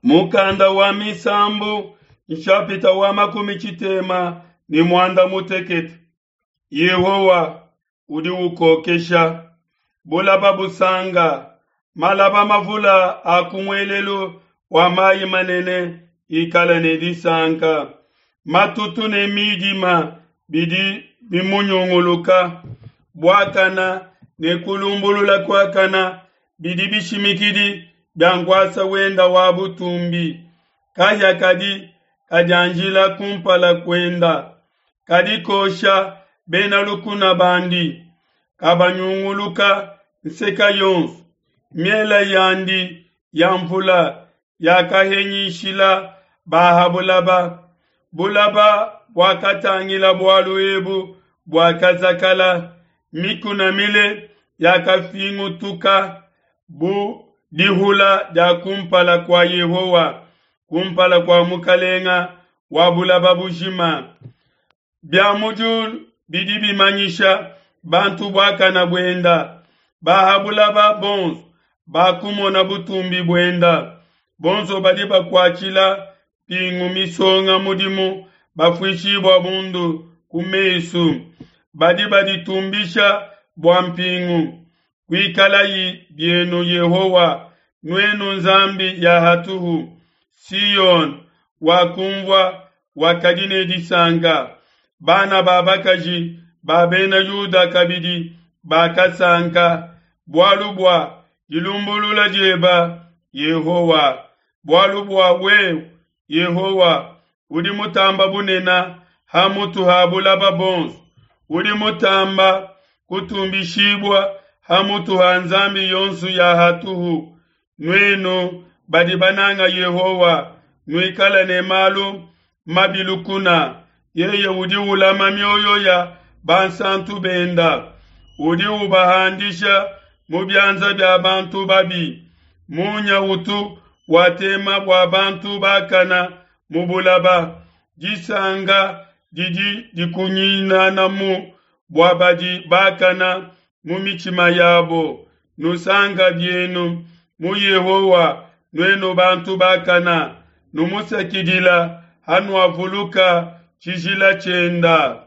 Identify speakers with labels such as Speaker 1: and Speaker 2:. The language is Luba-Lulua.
Speaker 1: Mukanda wa Misambu nshapita wa 38. Yehowa udi ukokesha bulaba busanga, malaba mavula a ku muelelu wa mayi manene ikala ne disanka. Matutu ne midima bidi bimunyunguluka, buakana ne kulumbulula kuakana bidi bishimikidi bia nkuasa wenda wa butumbi. Kahia kadi kadianjila kumpala kuenda, kadi kosha bena lukuna bandi, kabanyunguluka nseka yonso. Miela yandi ya mvula yakahenyishila ba ha bulaba. Bulaba buakatangila bualu ebu buakazakala, mikuna mile yakafingutuka bu dihula dia kumpala kua Yehowa, kumpala kua Mukalenga wa bulaba bujima. Bia mu diulu bidi bimanyisha bantu buakana buenda, ba ha bulaba bonso bakumona butumbi buenda. Bonso badi bakuatshila mpingu misonga mudimu bafuishibua bundu ku mesu, badi baditumbisha bua mpingu. Kuikalayi bienu Yehowa, nuenu Nzambi ya hatuhu. Siyone wakumvua wakadi ne disanka, bana ba bakaji ba bena Yuda kabidi bakasanka, bualu bua dilumbulula dieba Yehowa, bualu bua wewe Yehowa udi mutamba bunena ha mutu ha bulaba bonso, udi mutamba kutumbishibua ha mutu ha nzambi yonso ya hatuhu. Nuenu badi bananga Yehowa, nuikale ne malu mabi lukuna. Yeye udi ulama mioyo ya bansantu benda, udi ubahandisha mu bianza bia bantu babi. Munya utu watema bua bantu bakana mu bulaba, disanga didi dikunyinanamu bua badi bakana mu mitshima yabo. Nusanka bienu mu Yehowa, nuenu bantu bakana, numusakidila hanuavuluka tshijila tshienda.